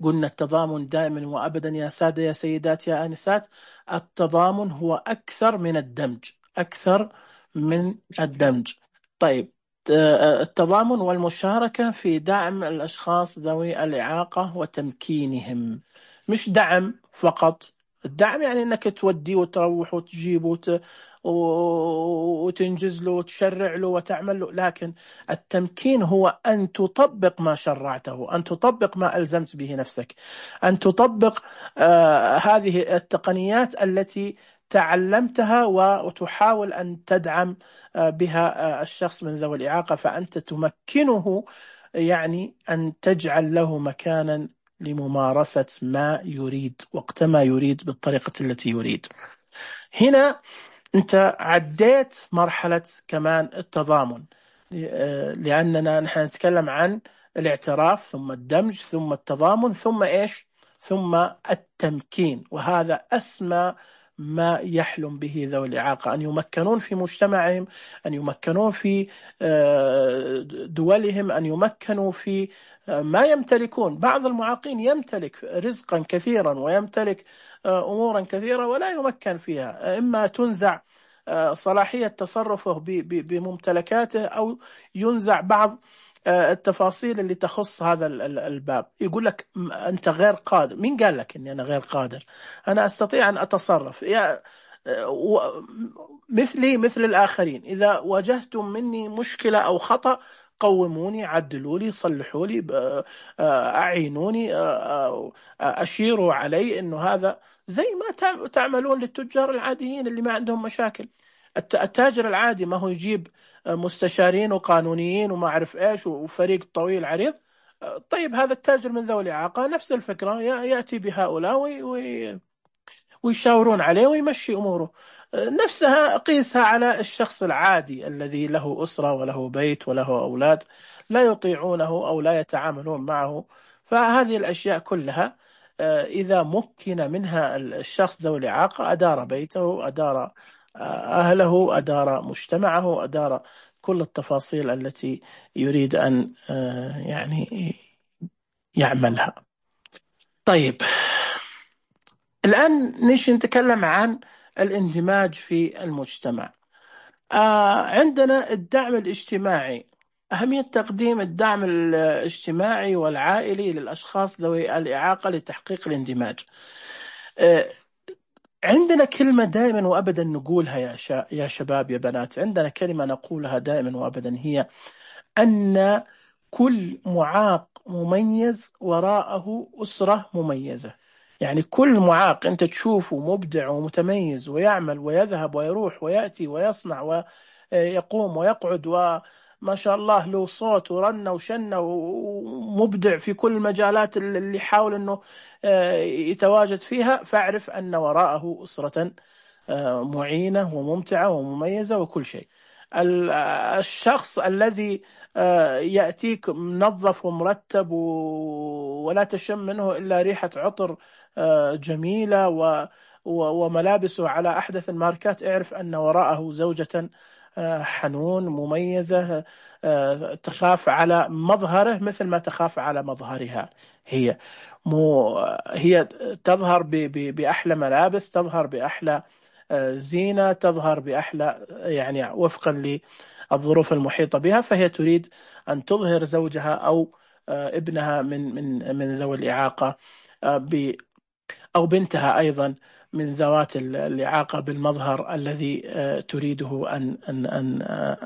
قلنا التضامن دائما وأبدا يا سادة يا سيدات يا آنسات، التضامن هو أكثر من الدمج، أكثر من الدمج. طيب، التضامن والمشاركة في دعم الأشخاص ذوي الإعاقة وتمكينهم، مش دعم فقط. الدعم يعني أنك تودي وتروح وتجيب وتنجز له وتشرع له وتعمل له، لكن التمكين هو أن تطبق ما شرعته، أن تطبق ما ألزمت به نفسك، أن تطبق هذه التقنيات التي تعلمتها وتحاول أن تدعم بها الشخص من ذوي الإعاقة، فأنت تمكنه، يعني أن تجعل له مكانا لممارسة ما يريد وقت ما يريد بالطريقة التي يريد. هنا أنت عديت مرحلة كمان التضامن، لأننا نحن نتكلم عن الاعتراف ثم الدمج ثم التضامن ثم إيش؟ ثم التمكين. وهذا أسمى ما يحلم به ذوي الإعاقة، أن يمكنون في مجتمعهم، أن يمكنون في دولهم، أن يمكنوا في ما يمتلكون. بعض المعاقين يمتلك رزقا كثيرا ويمتلك أمورا كثيرة ولا يمكن فيها، إما تنزع صلاحية تصرفه بممتلكاته، أو ينزع بعض التفاصيل اللي تخص هذا الباب. يقول لك أنت غير قادر. مين قال لك أني أنا غير قادر؟ أنا أستطيع أن أتصرف مثلي مثل الآخرين. إذا واجهتم مني مشكلة أو خطأ، قوموني، عدلوا لي، صلحوا لي، أعينوني، أشيروا علي أنه هذا زي ما تعملون للتجار العاديين اللي ما عندهم مشاكل. التاجر العادي ما هو يجيب مستشارين وقانونيين وما أعرف إيش وفريق طويل عريض. طيب هذا التاجر من ذوي الإعاقة نفس الفكرة، يأتي بهؤلاء ويشاورون عليه ويمشي أموره. نفسها قيسها على الشخص العادي الذي له أسرة وله بيت وله أولاد لا يطيعونه أو لا يتعاملون معه. فهذه الأشياء كلها إذا مكن منها الشخص ذو الإعاقة، أدار بيته، أدار أهله، أدار مجتمعه، أدار كل التفاصيل التي يريد أن يعني يعملها. طيب الآن نتكلم عن الاندماج في المجتمع. عندنا الدعم الاجتماعي، أهمية تقديم الدعم الاجتماعي والعائلي للأشخاص ذوي الإعاقة لتحقيق الاندماج. عندنا كلمة دائما وأبدا نقولها يا شباب يا بنات، عندنا كلمة نقولها دائما وأبدا، هي أن كل معاق مميز وراءه أسرة مميزة. يعني كل معاق أنت تشوفه مبدع ومتميز ويعمل ويذهب ويروح ويأتي ويصنع ويقوم ويقعد وما شاء الله له صوت ورنة وشنة ومبدع في كل المجالات اللي يحاول أنه يتواجد فيها، فاعرف أن وراءه أسرة معينة وممتعة ومميزة وكل شيء. الشخص الذي يأتيك منظف ومرتب ولا تشم منه إلا ريحة عطر جميلة وملابسه على أحدث الماركات، اعرف أن وراءه زوجة حنون مميزة تخاف على مظهره مثل ما تخاف على مظهرها. هي تظهر بأحلى ملابس، تظهر بأحلى زينة، تظهر بأحلى يعني وفقا للظروف المحيطة بها، فهي تريد أن تظهر زوجها أو ابنها من ذوي الإعاقة أو بنتها أيضا من ذوات الإعاقة بالمظهر الذي تريده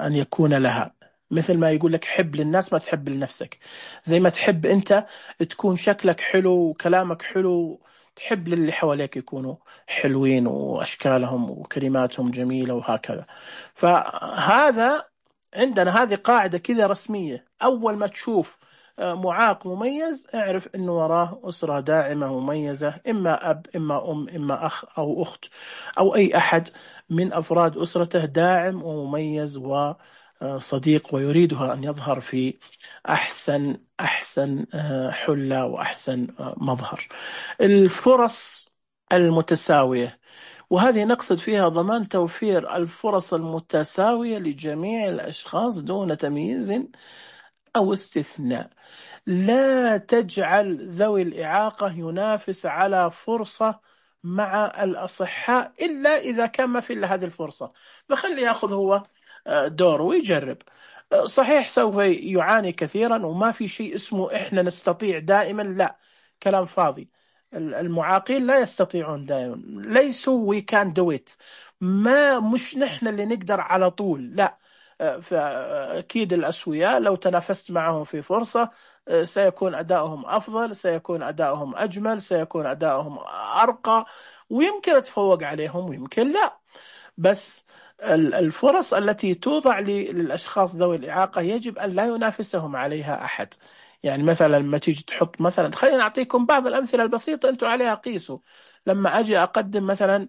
أن يكون لها. مثل ما يقول لك حب للناس ما تحب لنفسك، زي ما تحب أنت تكون شكلك حلو وكلامك حلو، تحب للي حواليك يكونوا حلوين وأشكالهم وكلماتهم جميلة وهكذا. فهذا عندنا هذه قاعدة كذا رسمية، أول ما تشوف معاق مميز اعرف أنه وراه أسرة داعمة مميزة، إما أب إما أم إما أخ أو أخت أو أي أحد من أفراد أسرته داعم ومميز وصديق ويريدها أن يظهر في أحسن حلة وأحسن مظهر. الفرص المتساوية، وهذه نقصد فيها ضمان توفير الفرص المتساوية لجميع الأشخاص دون تمييز أو استثناء. لا تجعل ذوي الإعاقة ينافس على فرصة مع الأصحاء إلا إذا كان ما في إلا هذه الفرصة، فخلي يأخذ هو دور ويجرب. صحيح سوف يعاني كثيرا وما في شيء اسمه إحنا نستطيع دائما، لا، كلام فاضي. المعاقين لا يستطيعون دائما، ليسوا we can do it، مش نحن اللي نقدر على طول، لا. فأكيد الأسوياء لو تنافست معهم في فرصة سيكون أداؤهم أفضل، سيكون أداؤهم أجمل، سيكون أداؤهم أرقى، ويمكن أتفوق عليهم ويمكن لا. بس الفرص التي توضع للأشخاص ذوي الإعاقة يجب أن لا ينافسهم عليها أحد. يعني مثلا لما تيجي تحط مثلا، خلينا نعطيكم بعض الأمثلة البسيطة أنتم عليها قيسوا. لما أجي أقدم مثلا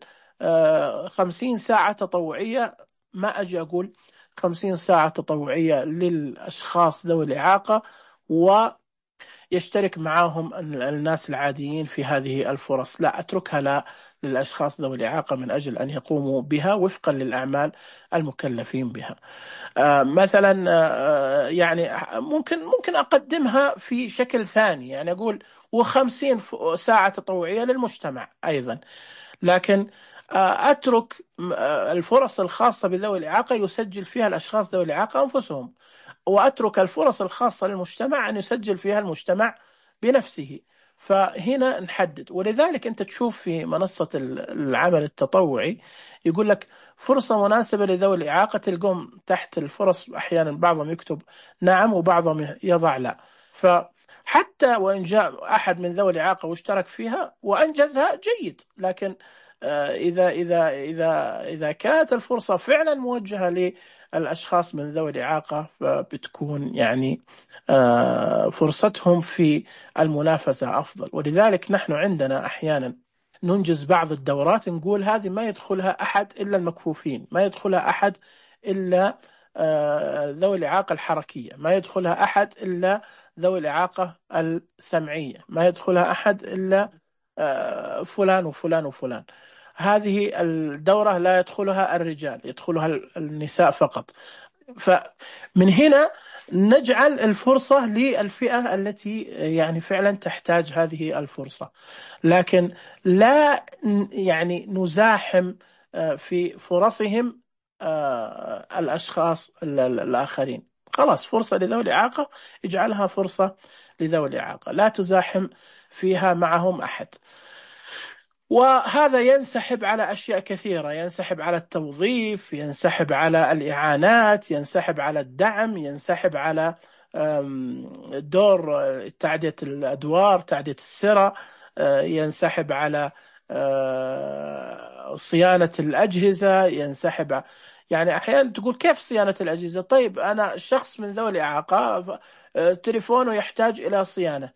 50 ساعة تطوعية، ما أجي أقول 50 ساعة تطوعية للأشخاص ذوي الإعاقة ويشترك معهم الناس العاديين في هذه الفرص، لا، أتركها للأشخاص ذوي الإعاقة من أجل أن يقوموا بها وفقا للأعمال المكلفين بها. مثلا يعني ممكن أقدمها في شكل ثاني، يعني أقول و50 ساعة تطوعية للمجتمع أيضا، لكن أترك الفرص الخاصة بذوي الإعاقة يسجل فيها الأشخاص ذوي الإعاقة أنفسهم، وأترك الفرص الخاصة للمجتمع أن يسجل فيها المجتمع بنفسه. فهنا نحدد. ولذلك أنت تشوف في منصة العمل التطوعي يقول لك فرصة مناسبة لذوي الإعاقة، تلقون تحت الفرص أحيانا بعضهم يكتب نعم وبعضهم يضع لا. فحتى وإن جاء أحد من ذوي الإعاقة واشترك فيها وأنجزها جيد، لكن إذا كانت الفرصة فعلا موجهة للأشخاص من ذوي الإعاقة فبتكون يعني فرصتهم في المنافسة أفضل. ولذلك نحن عندنا أحيانا ننجز بعض الدورات نقول هذه ما يدخلها أحد إلا المكفوفين، ما يدخلها أحد إلا ذوي الإعاقة الحركية، ما يدخلها أحد إلا ذوي الإعاقة السمعية، ما يدخلها أحد إلا فلان وفلان وفلان. هذه الدورة لا يدخلها الرجال، يدخلها النساء فقط. فمن هنا نجعل الفرصة للفئة التي يعني فعلا تحتاج هذه الفرصة، لكن لا يعني نزاحم في فرصهم الأشخاص الآخرين. خلاص فرصة لذوي الإعاقة اجعلها فرصة لذوي الإعاقة، لا تزاحم فيها معهم أحد. وهذا ينسحب على أشياء كثيرة، ينسحب على التوظيف، ينسحب على الإعانات، ينسحب على الدعم، ينسحب على دور تعدية الأدوار، تعدية السرة، ينسحب على صيانة الأجهزة، ينسحب. يعني أحيانا تقول كيف صيانة الأجهزة؟ طيب أنا شخص من ذوي الإعاقة تليفونه يحتاج إلى صيانة،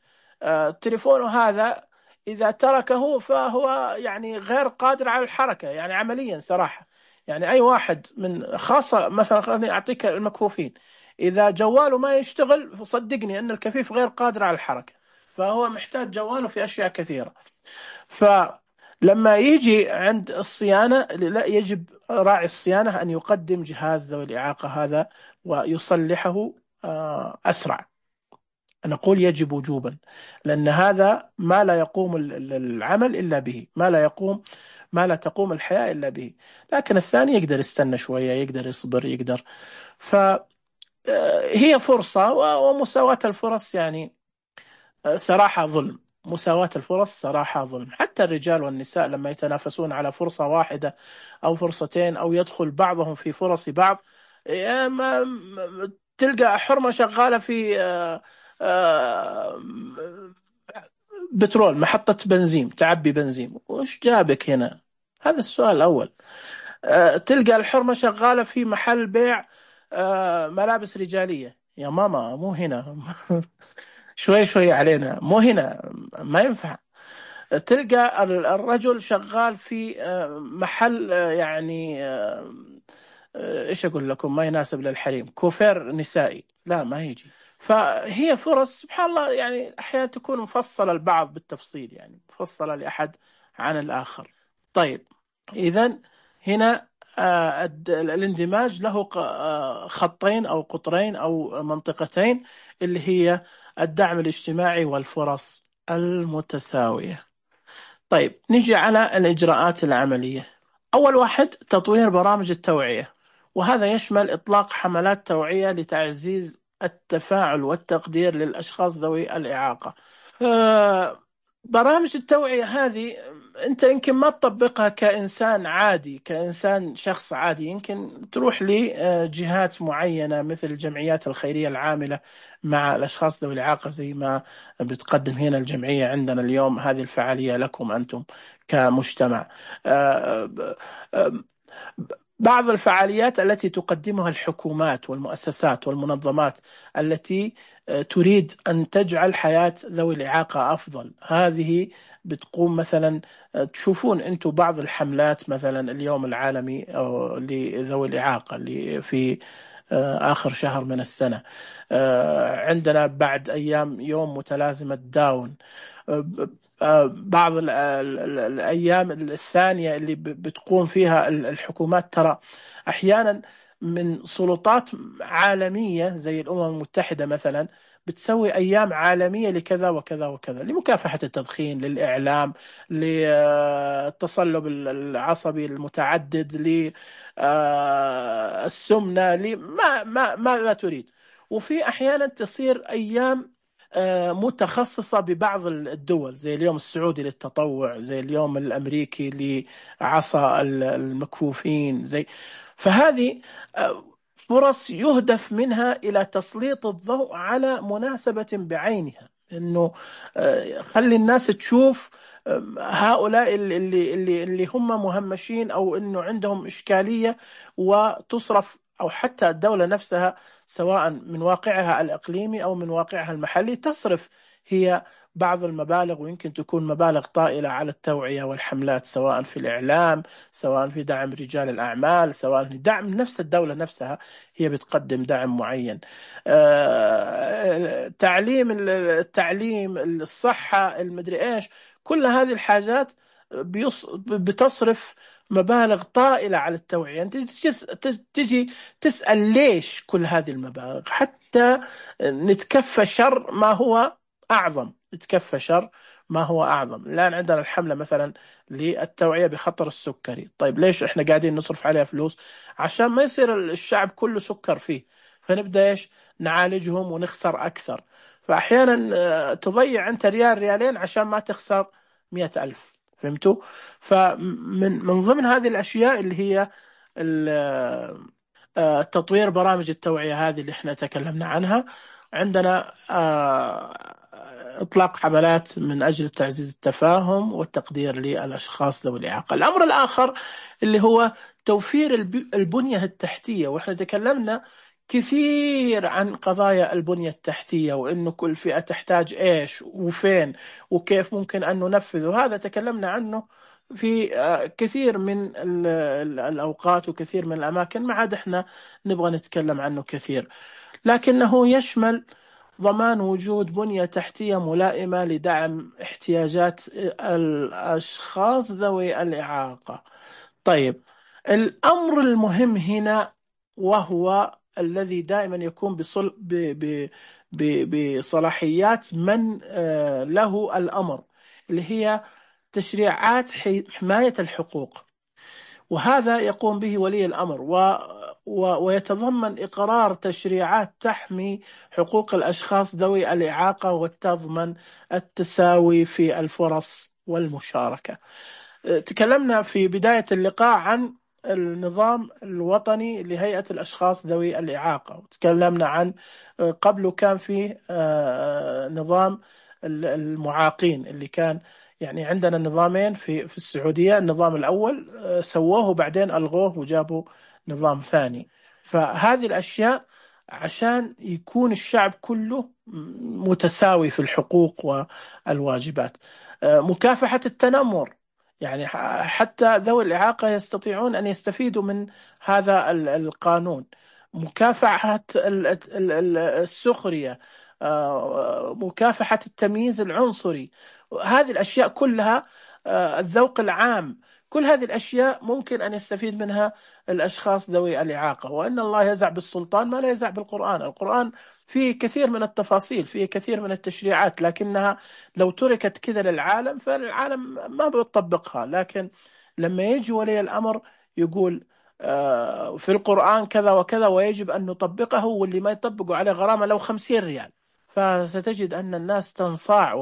تليفونه هذا إذا تركه فهو يعني غير قادر على الحركة، يعني عمليا صراحة. يعني أي واحد من خاصة مثلا خليني أعطيك المكفوفين، إذا جواله ما يشتغل فصدقني أن الكفيف غير قادر على الحركة، فهو محتاج جواله في أشياء كثيرة. فلما يجي عند الصيانة لا، يجب راعي الصيانة أن يقدم جهاز ذوي الإعاقة هذا ويصلحه أسرع. أنا أقول يجب وجوبا، لأن هذا ما لا يقوم العمل إلا به، ما لا تقوم الحياة إلا به. لكن الثاني يقدر يستنى شوية، يقدر يصبر، يقدر. فهي فرصة، ومساواة الفرص يعني صراحة ظلم. مساواة الفرص صراحة ظلم. حتى الرجال والنساء لما يتنافسون على فرصة واحدة أو فرصتين أو يدخل بعضهم في فرص بعض، تلقى حرمة شغالة في بترول، محطة بنزين تعبي بنزين، وش جابك هنا؟ هذا السؤال الأول. تلقى الحرمة شغالة في محل بيع ملابس رجالية، يا ماما مو هنا شوي شوي علينا، مو هنا، ما ينفع. تلقى الرجل شغال في محل يعني ايش اقول لكم، ما يناسب للحريم، كوفير نسائي، لا ما يجي. فهي فرص سبحان الله، يعني احيانا تكون مفصله البعض بالتفصيل، يعني مفصله لاحد عن الاخر. طيب اذا هنا الاندماج له خطين او قطرين او منطقتين، اللي هي الدعم الاجتماعي والفرص المتساويه. طيب نجي على الإجراءات العملية. أول واحد تطوير برامج التوعية، وهذا يشمل إطلاق حملات توعية لتعزيز التفاعل والتقدير للأشخاص ذوي الإعاقة. برامج التوعية هذه أنت يمكن ما تطبقها كإنسان عادي، كإنسان شخص عادي، يمكن تروح لجهات معينة مثل الجمعيات الخيرية العاملة مع الأشخاص ذوي الإعاقة، زي ما بتقدم هنا الجمعية عندنا اليوم هذه الفعالية لكم أنتم كمجتمع. بعض الفعاليات التي تقدمها الحكومات والمؤسسات والمنظمات التي تريد أن تجعل حياة ذوي الإعاقة أفضل، هذه بتقوم مثلا، تشوفون أنتم بعض الحملات، مثلا اليوم العالمي لذوي الإعاقة اللي في آخر شهر من السنة، عندنا بعد أيام يوم متلازمة داون، بعض الأيام الثانية اللي بتقوم فيها الحكومات، ترى أحيانا من سلطات عالمية زي الأمم المتحدة مثلا بتسوي أيام عالمية لكذا وكذا وكذا، لمكافحة التدخين، للإعلام، للتصلب العصبي المتعدد، للسمنة، ما لا تريد. وفي أحيانا تصير أيام متخصصة ببعض الدول، زي اليوم السعودي للتطوع، زي اليوم الأمريكي لعصا المكفوفين، فهذه فرص يهدف منها إلى تسليط الضوء على مناسبة بعينها، إنه خلي الناس تشوف هؤلاء اللي هم مهمشين، أو إنه عندهم إشكالية، وتصرف، أو حتى الدولة نفسها سواء من واقعها الإقليمي أو من واقعها المحلي تصرف هي بعض المبالغ، ويمكن تكون مبالغ طائلة، على التوعية والحملات، سواء في الإعلام، سواء في دعم رجال الأعمال، سواء في دعم نفس الدولة نفسها، هي بتقدم دعم معين. التعليم، الصحة، المدري إيش، كل هذه الحاجات بتصرف مبالغ طائلة على التوعية. أنت تجي تسأل ليش كل هذه المبالغ؟ حتى نتكفى شر ما هو أعظم، نتكفى شر ما هو أعظم. الآن عندنا الحملة مثلا للتوعية بخطر السكري. طيب ليش إحنا قاعدين نصرف عليها فلوس؟ عشان ما يصير الشعب كله سكر فيه، فنبدأ إيش؟ نعالجهم ونخسر أكثر. فأحيانا تضيع أنت ريال ريالين عشان ما تخسر 100,000. فهمتوا؟ فمن ضمن هذه الأشياء اللي هي تطوير برامج التوعية هذه اللي احنا تكلمنا عنها. عندنا إطلاق حملات من أجل تعزيز التفاهم والتقدير للأشخاص ذوي الإعاقة. الأمر الآخر اللي هو توفير البنية التحتية، وإحنا تكلمنا كثير عن قضايا البنية التحتية، وإنه كل فئة تحتاج إيش وفين وكيف ممكن أن ننفذ، وهذا تكلمنا عنه في كثير من الأوقات وكثير من الأماكن، ما عاد إحنا نبغى نتكلم عنه كثير. لكنه يشمل ضمان وجود بنية تحتية ملائمة لدعم احتياجات الأشخاص ذوي الإعاقة. طيب، الأمر المهم هنا، وهو الذي دائما يكون بصلاحيات من له الأمر، اللي هي تشريعات حماية الحقوق. وهذا يقوم به ولي الأمر، ويتضمن إقرار تشريعات تحمي حقوق الأشخاص ذوي الإعاقة، وتضمن التساوي في الفرص والمشاركة. تكلمنا في بداية اللقاء عن النظام الوطني لهيئة الأشخاص ذوي الإعاقة، وتكلمنا عن قبله كان فيه نظام المعاقين، اللي كان يعني عندنا نظامين في السعودية. النظام الأول سووه وبعدين ألغوه وجابوا نظام ثاني. فهذه الأشياء عشان يكون الشعب كله متساوي في الحقوق والواجبات. مكافحة التنمر، يعني حتى ذوي الإعاقة يستطيعون أن يستفيدوا من هذا القانون. مكافحة السخرية، مكافحة التمييز العنصري، هذه الأشياء كلها، الذوق العام، كل هذه الأشياء ممكن أن يستفيد منها الأشخاص ذوي الإعاقة. وأن الله يزع بالسلطان ما لا يزع بالقرآن. القرآن فيه كثير من التفاصيل، فيه كثير من التشريعات، لكنها لو تركت كذا للعالم فالعالم ما بيطبقها. لكن لما يجي ولي الأمر يقول في القرآن كذا وكذا ويجب أن نطبقه، واللي ما يطبقه عليه غرامة لو 50 ريال، فستجد أن الناس تنصاع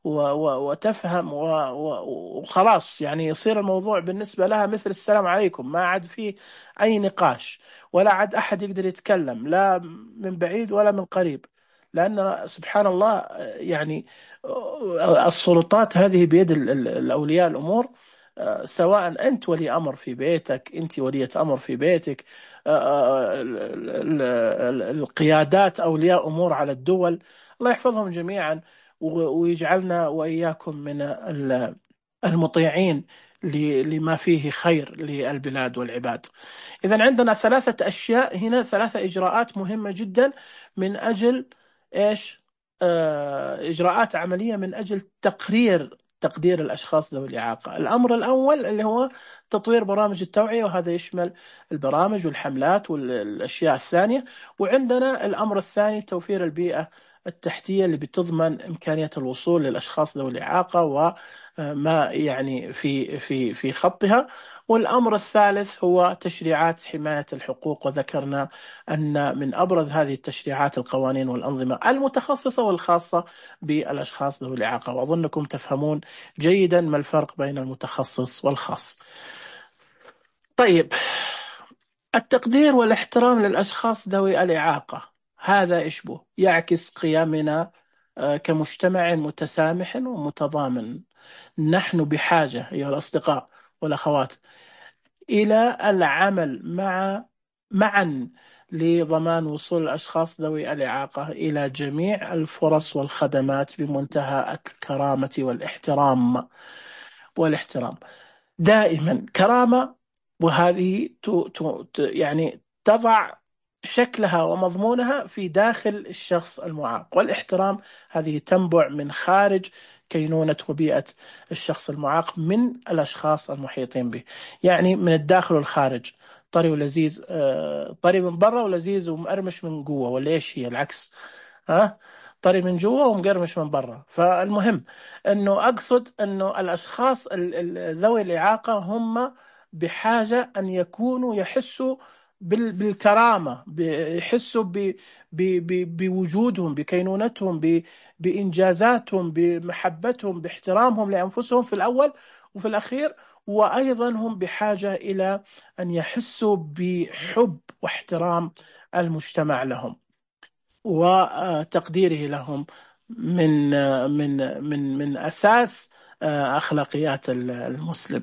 وتفهم وخلاص. يعني يصير الموضوع بالنسبة لها مثل السلام عليكم، ما عاد فيه أي نقاش، ولا عاد أحد يقدر يتكلم، لا من بعيد ولا من قريب. لأن سبحان الله، يعني السلطات هذه بيد الأولياء الأمور. سواء أنت ولي أمر في بيتك، أنت ولية أمر في بيتك، القيادات أولياء أمور على الدول، الله يحفظهم جميعا ويجعلنا وإياكم من المطيعين لما فيه خير للبلاد والعباد. إذن عندنا 3 أشياء هنا، 3 إجراءات مهمة جدا من أجل إيش؟ إجراءات عملية من أجل تقرير تقدير الأشخاص ذوي الإعاقة. الأمر الأول اللي هو تطوير برامج التوعية، وهذا يشمل البرامج والحملات والأشياء الثانية. وعندنا الأمر الثاني توفير البيئة التحتية اللي بتضمن إمكانية الوصول للأشخاص ذوي الإعاقة وما يعني في خطها. والأمر الثالث هو تشريعات حماية الحقوق، وذكرنا أن من أبرز هذه التشريعات القوانين والأنظمة المتخصصة والخاصة بالأشخاص ذوي الإعاقة، وأظنكم تفهمون جيدا ما الفرق بين المتخصص والخاص. طيب، التقدير والاحترام للأشخاص ذوي الإعاقة هذا يشبه يعكس قيمنا كمجتمع متسامح ومتضامن. نحن بحاجة أيها الأصدقاء والأخوات إلى العمل معا لضمان وصول الأشخاص ذوي الإعاقة إلى جميع الفرص والخدمات بمنتهى الكرامة والاحترام دائما. كرامة، وهذه يعني تضع شكلها ومضمونها في داخل الشخص المعاق. والاحترام هذه تنبع من خارج كينونة وبيئة الشخص المعاق من الأشخاص المحيطين به، يعني من الداخل والخارج. طري ولذيذ، طري من برا ولذيذ ومقرمش من جوا، ولا ايش هي العكس؟ ها، طري من جوا ومقرمش من برا. فالمهم انه اقصد انه الاشخاص ذوي الإعاقة هم بحاجة ان يكونوا يحسوا بالكرامة، يحسوا بوجودهم، بكينونتهم، بإنجازاتهم، بمحبتهم، باحترامهم لأنفسهم في الأول وفي الأخير. وأيضا هم بحاجة إلى أن يحسوا بحب واحترام المجتمع لهم وتقديره لهم من من أساس أخلاقيات المسلم.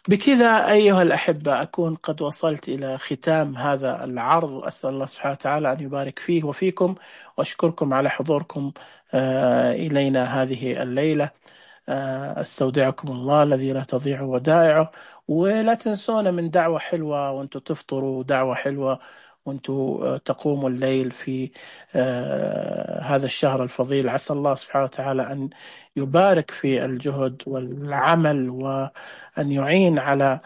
بكذا أيها الأحبة أكون قد وصلت إلى ختام هذا العرض. أسأل الله سبحانه وتعالى أن يبارك فيه وفيكم، وأشكركم على حضوركم إلينا هذه الليلة. استودعكم الله الذي لا تضيع ودائعه. ولا تنسونا من دعوة حلوة وانتم تفطروا، دعوة حلوة وانتم تقوموا الليل في هذا الشهر الفضيل. عسى الله سبحانه وتعالى أن يبارك في الجهد والعمل، وأن يعين على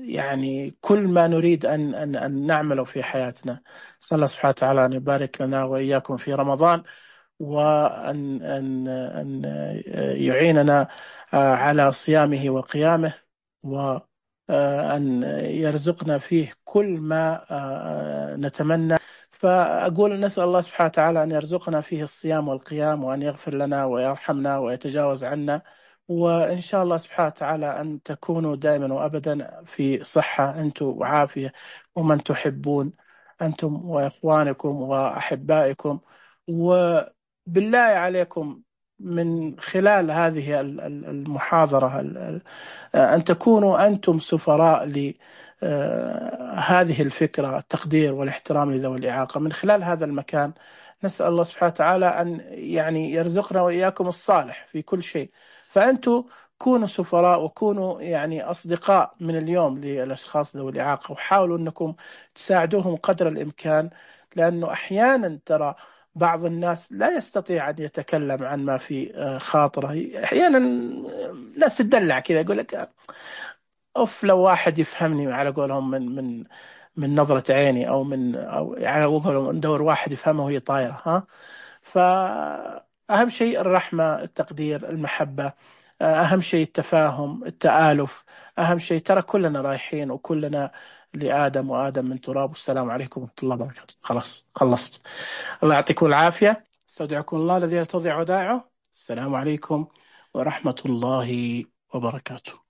يعني كل ما نريد أن نعمله في حياتنا. صلى الله سبحانه وتعالى أن يبارك لنا وإياكم في رمضان، وأن يعيننا على صيامه وقيامه، وأن يرزقنا فيه كل ما نتمنى. فأقول نسأل الله سبحانه وتعالى أن يرزقنا فيه الصيام والقيام، وأن يغفر لنا ويرحمنا ويتجاوز عنا. وإن شاء الله سبحانه وتعالى أن تكونوا دائما وأبدا في صحة أنتم وعافية، ومن تحبون أنتم وإخوانكم وأحبائكم. وبالله عليكم من خلال هذه المحاضرة أن تكونوا أنتم سفراء لهذه الفكرة، التقدير والاحترام لذوي الإعاقة من خلال هذا المكان. نسأل الله سبحانه وتعالى أن يعني يرزقنا وإياكم الصالح في كل شيء. فأنتم كونوا سفراء، وكونوا يعني أصدقاء من اليوم للأشخاص ذوي الإعاقة، وحاولوا أنكم تساعدوهم قدر الإمكان. لأنه أحيانا ترى بعض الناس لا يستطيع أن يتكلم عن ما في خاطره. أحيانا ناس تدلع كذا، يقول لك أوف لو واحد يفهمني، على قولهم من نظرة عيني، أو على قولهم ندور واحد يفهمه وهي طايرة. ها، فأهم شيء الرحمة، التقدير، المحبة. أهم شيء التفاهم، التآلف. أهم شيء ترى كلنا رايحين وكلنا لآدم، وآدم من تراب. والسلام عليكم ورحمة الله وبركاته. خلاص خلصت. الله يعطيكم العافية. استودعكم الله الذي لا تضيع ودائعه. السلام عليكم ورحمة الله وبركاته.